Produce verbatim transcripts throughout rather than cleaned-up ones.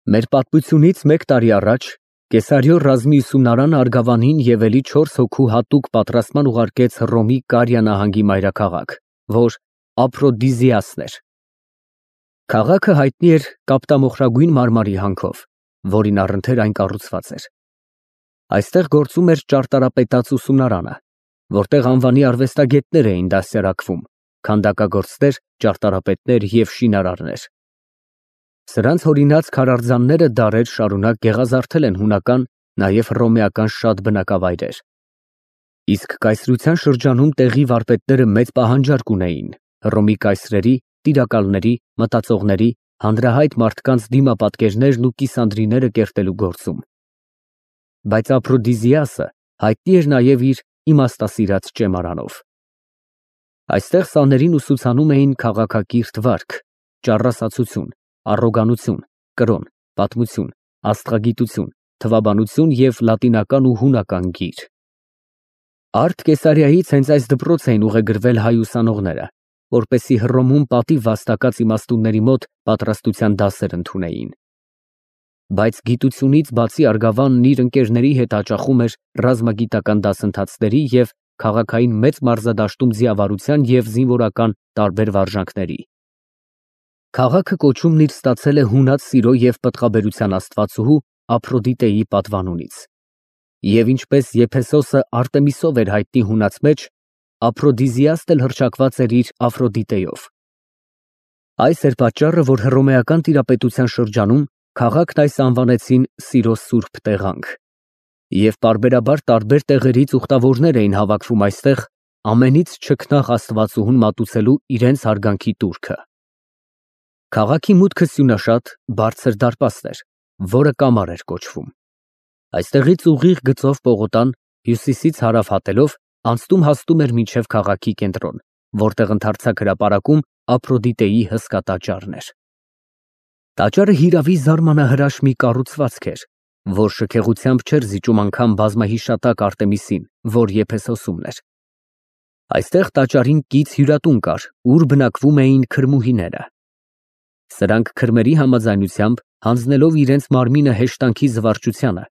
Մեր պատմությունից մեկ տարի առաջ Կեսարիո ռազմի ուսումնարանը Արգավանին և էլի չորս հոգու հատուկ պատրաստման ուղարկեց Հռոմի Կարիա նահանգի մայրաքաղաք, որ Ափրոդիզիասն էր։ Քաղաքը հայտնի էր կապտամոխրագույն մարմարի հանքով, որին առընթեր այն կառուցված էր։ Այստեղ գործում էր ճարտարապետաց ուսումնարանը, որտեղ անվանի արվեստագետներ էին դաստիարակվում, քանդակագործներ, ճարտարապետներ և շինարարներ։ Սրանց հորինած քարարձանները դարեր շարունակ գեղազարդել են հունական, նաև հռոմեական շատ բնակավայրեր։ Իսկ կայսրության շրջանում տեղի վարպետները մեծ պահանջարկ ունեին Հռոմի կայսրերի, տիրակալների, մտածողների, հանրահայտ մարդկանց դիմապատկերներն ու կիսանդրիները կերտելու գործում։ Բայց Ափրոդիզիասը հայտնի էր նաև իր իմաստասիրած ճեմարանով։ Այստեղ սաներին ուսուցանում էին քաղաքակիրթ վարք, ճառասացություն, առոգանություն, կրոն, պատմություն, աստղագիտություն, թվաբանություն և լատինական ու հունական գիր։ Արդ Կեսարիայից հենց այս դպրոց էին ուղեգրվել հայ ուսանողները, որպեսզի Հռոմում պատիվ վաստակած իմաստունների մոտ պատրաստության դասեր ընդունեին։ Բայց գիտությունից բացի Արգավանն իր ընկերների հետ հաճախում էր ռազմագիտական դասընթացների և քաղաքային մեծ մարզադաշտում ձիավարության և զինվորական տարբեր վարժանքների։ Քաղաքը կոչումն իր ստացել է հունած սիրո և պտղաբերության աստվածուհու Ափրոդիտեի պատվանունից։ Եվ ինչպես Եփեսոսը Արտեմիսով էր հայտնի հունած մեջ, Ափրոդիզիասն էլ հռչակված էր իր Աֆրոդիտեով։ Այս էր պատճառը, որ հռոմեական տիրապետության շրջանում քաղաքն այս անվանեցին սիրո սուրբ տեղանք։ Եվ պարբերաբար տարբեր տեղերից ուխտավորներ էին հավաքվում այստեղ, ամենից չքնաղ աստվածուհուն մատուցելու իրենց հարգանքի տուրքը։ Քաղաքի մուտքը սյունաշատ, բարձր դարպաստ էր, որը կամար էր կոչվում։ Այստեղից ուղիղ գծով պողոտան, հյուսիսից հարավ հատելով, անցնում֊հասնում էր մինչև քաղաքի կենտրոն, որտեղ ընդարձակ հրապարակում Ափրոդիտեի հսկա տաճարն էր։ Տաճարը հիրավի զարմանահրաշ մի կառուցվածք էր, որ շքեղությամբ չէր զիջում անգամ բազմահիշատակ Արտեմիսին, որ Եփեսոսումն էր։ Այստեղ տաճարին կից հյուրատուն կար, ուր բնակվում էին քրմուհիները։ Սրանք քրմերի համաձայնությամբ, հանձնելով իրենց մարմինը հեշտանքի զվարճությանը,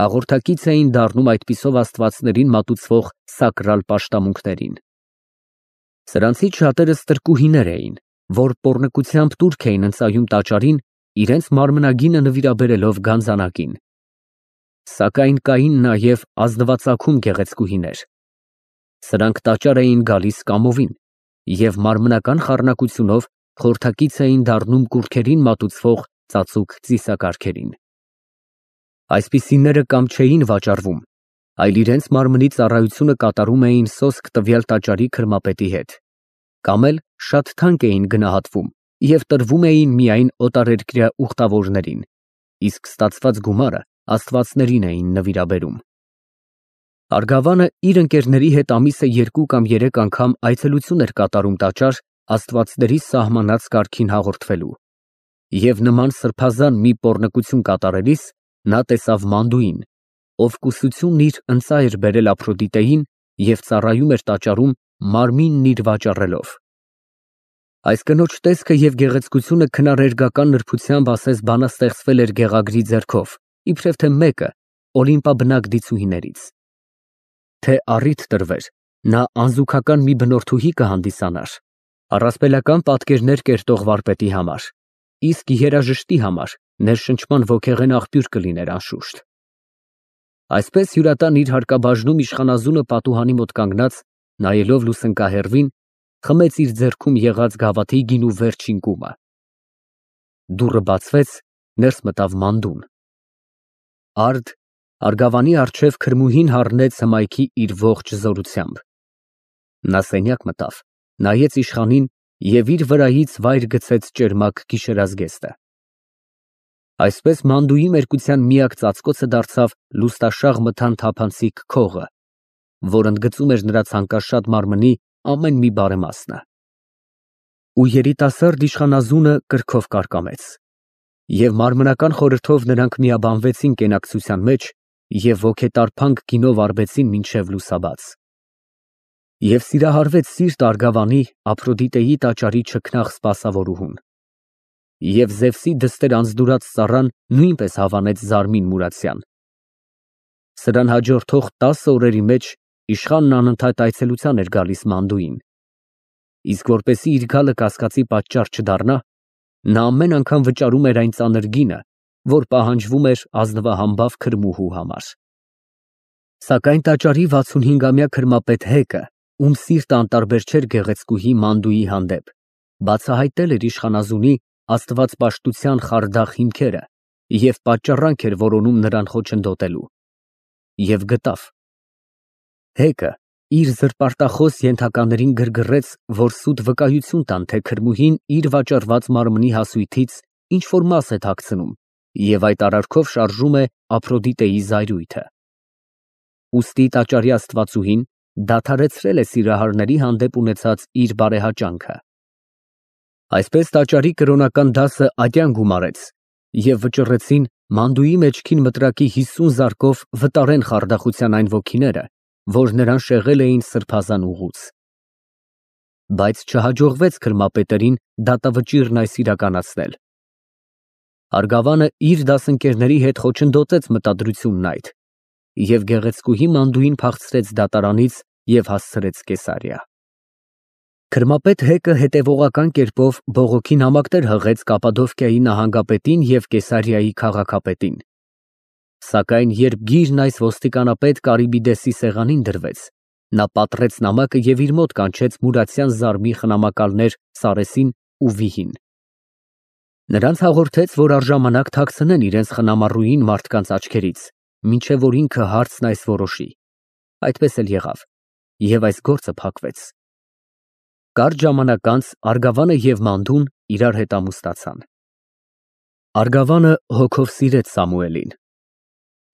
հաղորդակից էին դառնում այդպիսով աստվածներին մատուցվող սակրալ պաշտամունքներին։ Սրանցից շատերը ստրկուհիներ էին, որ պոռնկությամբ տուրք էին ընծայում տաճարին, իրենց մարմնագինը նվիրաբերելով գանձանակին։ Սակայն կային նաև ազնվածագում գեղեցկուհիներ։ Սրանք տաճար էին գալիս կամովին և մարմնական խառնակությունով խորհրդակից էին դառնում կուռքերին մատուցվող ծածուկ ծիսակարգերին։ Այսպիսիները կամ չէին վաճառվում, այլ իրենց մարմնի ծառայությունը կատարում էին սոսկ տվյալ տաճարի քրմապետի հետ, կամ էլ շատ թանկ էին գնահատվում և տրվում էին միայն օտարերկրյա ուխտավորներին, իսկ ստացված գումարը աստվածներին էին նվիրաբերում։ Արգավանը իր ընկերների հետ ամիսը երկու կամ երեք անգամ այցելություն էր կատարում տաճար աստվածների սահմանած կարգին հաղորդվելու, և նման սրբազան մի պոռնկություն կատարելիս նա տեսավ Մանդուին, ով կուսությունն իր ընծա էր բերել Ափրոդիտեին և ծառայում էր տաճարում մարմինն իր վաճառելով։ Այս կնոջ տեսքը և գեղեցկությունը քնարերգական նրբությամբ ասես բանաստեղծվել էր գեղագրի ձեռքով, իբրև թե մեկը օլիմպաբնակ դիցուհիներից։ Թե առիթ տրվեր, նա անզուգական մի բնորդուհի կհանդիսանար, առասպելական պատկերներ կերտող վարպետի համար, իսկ երաժշտի համար ներշնչման ոգեղեն աղբյուր կլիներ անշուշտ։ Այսպես հյուրատան իր հարկաբաժնում իշխանազունը պատուհանի մոտ կանգնած, նայելով լուսնկահեռվին, խմեց իր ձեռքում եղած գավաթի գինու վերջին կումը։ Դուռը բացվեց, ներս մտավ Մանդուն։ Արդ Արգավանի առջև քրմուհին հառնեց հմայքի իր ողջ զորությամբ։ Նա սենյակ մտավ, նայեց իշխանին և իր վրայից վայր գցեց ճերմակ գիշերազգեստը։ Այսպես Մանդուի մերկության միակ ծածկոցը դարձավ լուստաշաղ մթան թափանցիկ քողը, որ ընդգծում էր նրա ցանկաշատ մարմնի ամեն մի բարեմասը։ Ու երիտասարդ իշխանազունը կրքով կարկամեց, և մարմնական խորհրդով նրանք միաբանվեցին կենակցության մեջ և ոգետարփանք գինով արբեցին մինչև լուսաբաց։ Եվ սիրահարվեց սիրտ Արգավանի Ափրոդիտեի տաճարի չքնաղ սպասավորուհուն։ Եվ Զևսի դստեր անձդուրած ծառան նույնպես հավանեց Զարմին Մուրացյան։ Սրան հաջորդող տասը օրերի մեջ իշխանն անընդհատ այցելության էր գալիս Մանդուին, իսկ որպեսզի իր գալը կասկածի պատճառ չդառնա, նա ամեն անգամ վճարում էր այն ծանր գինը, որ պահանջվում էր ազնվահամբավ քրմուհու համար։ Սակայն տաճարի վաթսունհինգամյա քրմապետ Հեկը, ում սիրտը անտարբեր չէր գեղեցկուհի Մանդուի հանդեպ, բացահայտել էր իշխանազունի աստվածպաշտության խարդախ հիմքերը և պատճառանք էր որոնում նրան խոչընդոտելու։ Եվ գտավ։ Հեկը իր զրպարտախոս ենթականերին գրգռեց, որ սուտ վկայություն տան, թե քրմուհին իր վաճառված մարմնի հասույթից ինչ-որ մաս է թաքցնում և այդ արարքով շարժում է Ափրոդիտեի զայրույթը։ Ուստի տաճարի աստվածուհին դադարեցրել է սիրահարների հանդեպ ունեցած իր բարեհաճանքը։ Այսպես տաճարի կրոնական դասը ատյան գումարեց և վճռեցին Մանդուի մեջքին մտրակի հիսուն զարկով վտարեն խարդախության այն ոգիները, որ նրան շեղել էին սրբազան ուղուց։ Բայց չհաջողվեց քրմապետերին դատավճիռն այս իրականացնել։ Արգավանը իր դասընկերների հետ խոչընդոտեց մտադրությունն այդ և գեղեցկուհի Մանդուին փախցրեց դատարանից և հասցրեց Կեսարիա։ Քրմապետ Հեկը հետևողական կերպով բողոքի նամակներ հղեց Կապադովկիայի նահանգապետին և Կեսարիայի քաղաքապետին։ Սակայն երբ գիրն այս ոստիկանապետ Կարիբիդեսի սեղանին դրվեց, նա պատռեց նամակը և իր մոտ կանչեց Մուրացյան Զարմի խնամակալներ Սարեսին ու Վիհին։ Նրանց հաղորդեց, որ առժամանակ թաքցնեն իրենց խնամառուհին մարդկանց աչքերից, մինչև որ ինքը հարցն այս որոշի։ Այդպես էլ եղավ, և այս գործը փակվեց։ Կարճ ժամանակ անց Արգավանը և Մանդուն իրար հետ ամուսնացան։ Արգավանը հոգով սիրեց Սամուելին։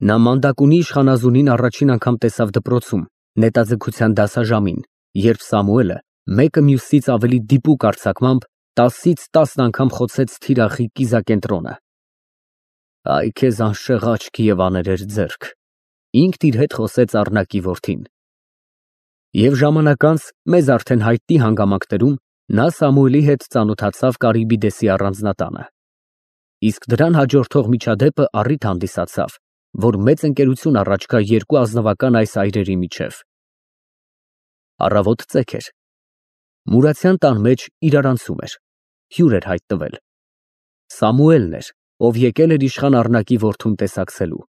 Նա Մանդակունի իշխանազունին առաջին անգամ տեսավ դպրոցում, նետաձգության դասաժամին, երբ Սամուելը մեկը մյուսից ավելի դիպուկ արձակմամբ տասից տասն անգամ խոցեց թիրախի կիզակենտրոնը։ Այ քեզ անշեղ աչք և աներեր ձեռք, ինքն իր հետ խոսեց Առնակի որդին։ Եվ ժամանակ անց մեզ արդեն հայտնի հանգամանքներում նա Սամուելի հետ ծանոթացավ Կարիբիդեսի առանձնատանը։ Իսկ դրան հաջորդող միջադեպը առիթ հանդիսացավ, որ մեծ ընկերություն առաջ գա երկու ազնվական այս այրերի միջև։ Առավոտ ծեք էր։ Մուրացյան տան մեջ իրարանցում էր, հյուր էր հայտնվել։ Սամուելն էր, ով եկել էր իշխան Առնակի որդուն տեսակցելու։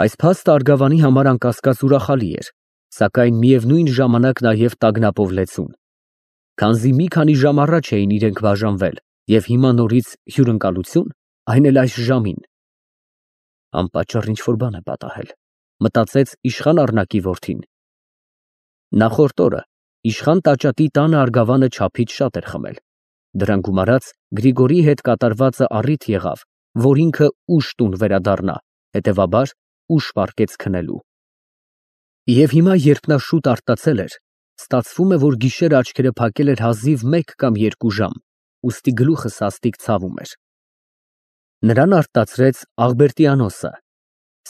Այս փաստը Արգավանի համար անկասկած ուրախալի էր, սակայն միևնույն ժամանակ նաև տագնապով լեցուն, քանզի մի քանի ժամ առաջ էին իրենք բաժանվել և հիմա նորից հյուրընկալություն, այն էլ այս ժամին։ Անպատճառ ինչ֊որ բան է պատահել, մտածեց իշխան Առնակի որդին։ Նախորդ օրը իշխան Տաճատի տանը Արգավանը չափից շատ էր խմել։ Դրան գումարած Գրիգորի հետ կատարվածը առիթ եղավ, որ ինքը ուշ տուն վերադառնա, հետևաբար ուշ պառկեց քնելու։ Եվ հիմա, երբ նա շուտ արտացել էր, ստացվում է, որ գիշերը աչքերը փակել էր հազիվ մեկ կամ երկու ժամ, ուստի գլուխը սաստիկ ցավում էր։ Նրան արտացրեց Աղբերտիանոսը։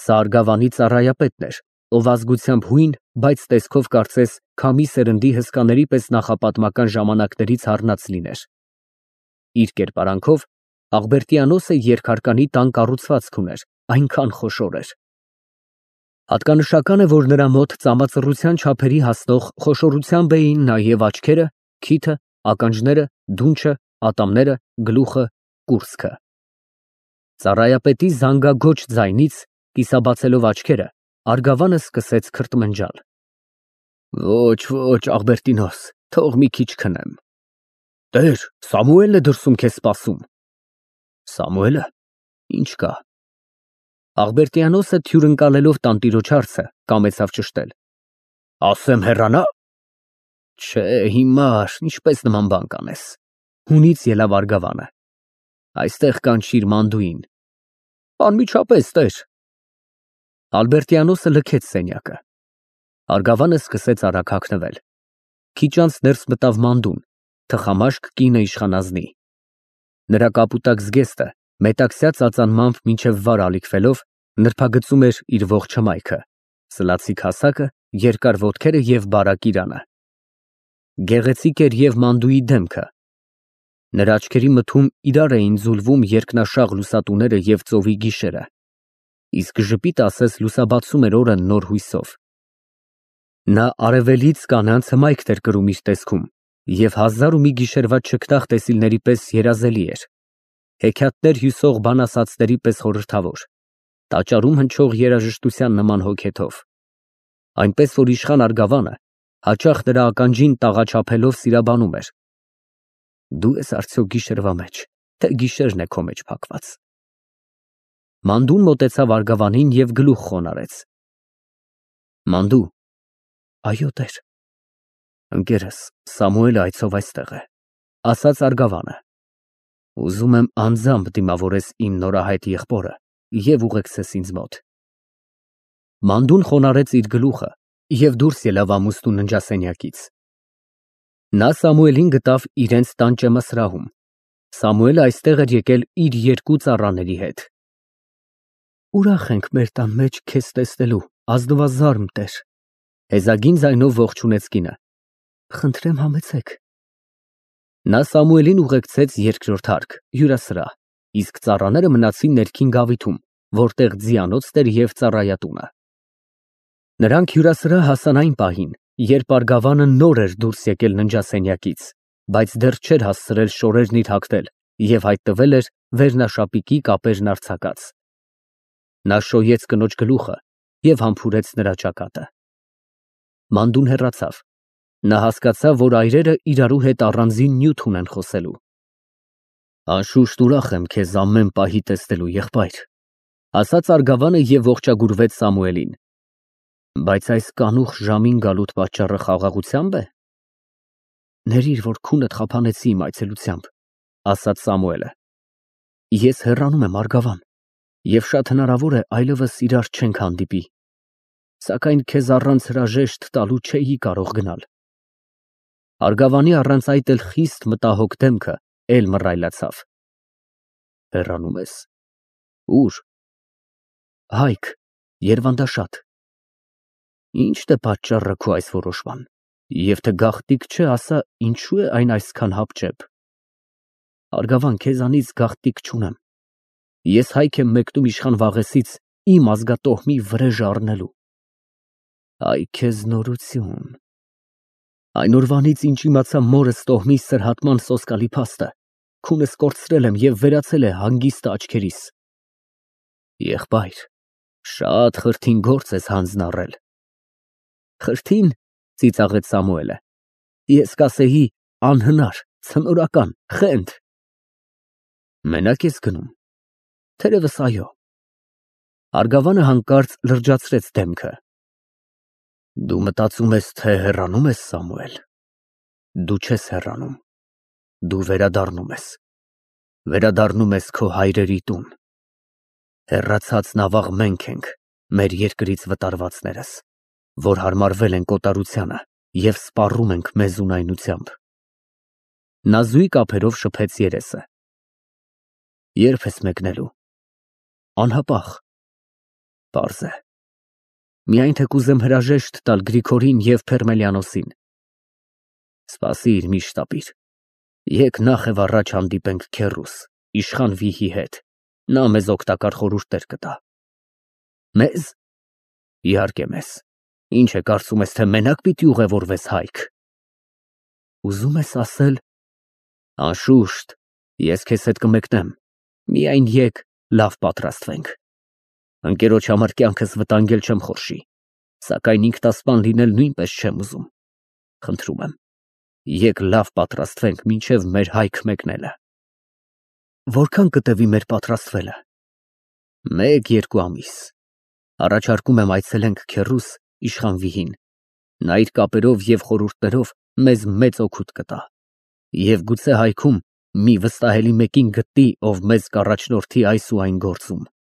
Սա Արգավանի ծառայապետն էր, ով ազգությամբ հույն, բայց տեսքով կարծես քամի սերնդի հսկաների պես նախապատմական ժամանակներից առնած լիներ։ Իր կերպարանքով Աղբերտիանոսը երկհարկանի տան կառուցվածք ուներ, այնքան խոշոր էր։ Հատկանշական է, որ նրա մոտ ծամածռության չափերի հասնող խոշորությամբ էին նաև աչքերը, քիթը, ականջները, դունչը, ատամները, գլուխը, կուրծքը։ Ծառայապետի զանգագոչ ձայնից, կիսաբացելով աչքերը, Արգավանը սկսեց քրթմնջալ։ Ոչ, ոչ, Աղբերտինոս, թող մի քիչ քնեմ։ Տեր, Սամուելն է դրսում քեզ սպասում։ Սամուելը, ինչ կա։ Աղբերտիանոսը թյուրընկալելով տանտիրոջ հարցը, կամեցավ ճշտել։ Ասեմ հեռանա։ Չէ, հիմար, ինչպես նման բան կանես։ Հունից ելավ Արգավանը։ Այստեղ կանչիր Մանդուին։ Անմիջապես, տեր։ Ալբերտիանոսը լքեց սենյակը։ Արգավանը սկսեց արագ հագնվել։ Քիչ անց ներս մտավ Մանդուն, թխամաշկ կինը իշխանազնի։ Նրա կապուտակ զգեստը մետաքսյա ծածանմամբ մինչև վար ալիքվելով նրբագծում էր իր ողջ հմայքը, սլացիկ հասակը, երկար ոտքերը և բարակ իրանը։ Գեղեցիկ էր և Մանդուի դեմքը։ Նրա աչքերի մթում իրար էին ձուլվում երկնաշաղ լուսատուները և ծովի գիշերը, իսկ ժպիտը ասես լուսաբացում էր օրը նոր հույսով։ Նա արևելից կանանց հմայքն էր կրում իր տեսքում և հազար ու մի գիշերվա չքնաղ տեսիլների պես երազելի էր, հեքիաթներ հյուսող բանասացների պես խորհրդավոր, տաճարում հնչող երաժշտության նման հոգեթով, այնպես որ իշխան Արգավանը հաճախ նրա ականջին տաղաչափելով սիրաբանում էր. «Դու ես արդյոք գիշերվա մեջ, թե գիշերն է քո մեջ փակված»։ Մանդուն մոտեցավ Արգավանին և գլուխ խոնարհեց. «Մանդու»։ «Այո, տեր»։ «Ընկերս Սամուելը այցով այստեղ է», ֊ ասաց Արգավանը։ «Ուզում եմ անձամբ դիմավորես իմ նորահայտ եղբորը և ուղեկցես ինձ մոտ»։ Մանդուն խոնարհեց իր գլուխը և դուրս ելավ ամուսնու ննջասենյակից։ Նա Սամուելին գտավ իրենց տան ճեմասրահում։ Սամուելը այստեղ էր եկել իր երկու ծառաների հետ։ «Ուրախ ենք մեր տան մեջ քեզ տեսնելու, ազնվազարմ տեր», ֊ հեզագին ձայնով ողջունեց կինը։ «Խնդրեմ համեցեք»։ Նա Սամուելին ուղեկցեց երկրորդ հարկ, հյուրասրահ, իսկ ծառաները մնացին ներքին գավիթում, որտեղ ձիանոցն էր և ծառայատունը։ Նրանք հյուրասրահ հասան այն պահին, երբ Արգավանը նոր էր դուրս եկել ննջասենյակից, բայց դեռ չէր հասցրել շորերն իր հագնել և հայտնվել էր վերնաշապիկի կապերն արձակած։ Նա շոյեց կնոջ գլուխը և համբուրեց նրա ճակատը։ Մանդուն հեռացավ։ Նա հասկացավ, որ այրերը իրարու հետ առանձին նյութ ունեն խոսելու։ «Անշուշտ ուրախ եմ քեզ ամեն պահի տեսնելու, եղբայր», ֊ ասաց Արգավանը և ողջագուրվեց Սամուելին։ «Բայց այս կանուխ ժամին գալուտ պատճառը խաղաղությա՞մբ է»։ «Ներիր, որ քունդ խափանեցի իմ այցելությամբ», ֊ ասաց Սամուելը։ «Ես հեռանում եմ, Արգավան, և շատ հնարավոր է այլևս իրար չենք հանդիպի, սակայն քեզ առանց հրաժեշտ տալու չէի կարող գնալ»։ Արգավանի առանց այդ էլ խիստ մտահոգ դեմքը էլ մռայլացավ։ «Հեռանում ես, ո՞ւր»։ «Հայք, Երվանդաշատ»։ «Ի՞նչն է պատճառը քո այս որոշման, և թե գաղտնիք չէ, ասա, ինչու է այն այսքան հապճեպ»։ «Արգավան, քեզանից գաղտնիք չունեմ։ Ես հայք եմ մեկնում իշխան Վաղեսից իմ ազգատոհմի վրեժը առնելու»։ «Այ քեզ նորություն։ Այն օրվանից, ինչ իմացա մորս տոհմի սրհատման սոսկալի փաստը, քունս կորցրել եմ և վերացել է հանգիստը աչքերիս»։ «Եղբայր, շատ խրթին գործ ես հանձն առել»։ «Խրթի՞ն», ֊ ծիծաղեց Սամուելը։ «Ես կասեի անհնար, ցնորական, խենթ»։ «Մենա՞կ ես գնում»։ «Թերևս, այո»։ Արգավանը հանկարծ լրջացրեց դեմքը։ «Դու մտածում ես, թե հեռանում ես, Սամուել։ Դու չես հեռանում, դու վերադառնում ես, վերադառնում ես քո հայրերի տուն։ Հեռացածն ավաղ մենք ենք, մեր երկրից վտարվածներս, որ հարմարվել ենք օտարությանը և սպառում ենք մեզ ունայնությամբ»։ Նա զույգ ափերով շփեց երեսը։ «Ե՞րբ ես մեկնելու»։ «Անհապաղ»։ «Պարզ է։ Միայն թե կուզեմ հրաժեշտ տալ Գրիգորին և Ֆերմելիանոսին»։ «Սպասիր, մի շտապիր, եկ նախ և առաջ հանդիպենք քեռուս, իշխան Վիհի հետ, նա մեզ օգտակար խորհուրդներ կտա»։ «Մե՞զ»։ «Իհարկե մեզ։ Ինչ է, կարծում ես, թե մենակ պիտի ուղևորվես հայք»։ «Ուզում ես ասել»։ «Անշուշտ, ես քեզ հետ կմեկնեմ, միայն եկ լավ պատրաստվենք։ Ընկերոջ համար կյանքս վտանգել չեմ խորշի, սակայն ինքնասպան լինել նույնպես չեմ ուզում։ Խնդրում եմ, եկ լավ պատրաստվենք մինչև մեր հայք մեկնելը»։ «Որքան կտևի մեր պատրաստվելը»։ «Մեկ֊երկու ամիս։ Առաջարկում եմ այցելենք քեռուս, իշխան Վիհին, նա իր կապերով և խորհուրդներով մեզ մեծ օգուտ կտա, և գուցե հայքում մի վստահելի մեկին գտնի, ով մեզ կառաջնորդի այս ու այն գործում»։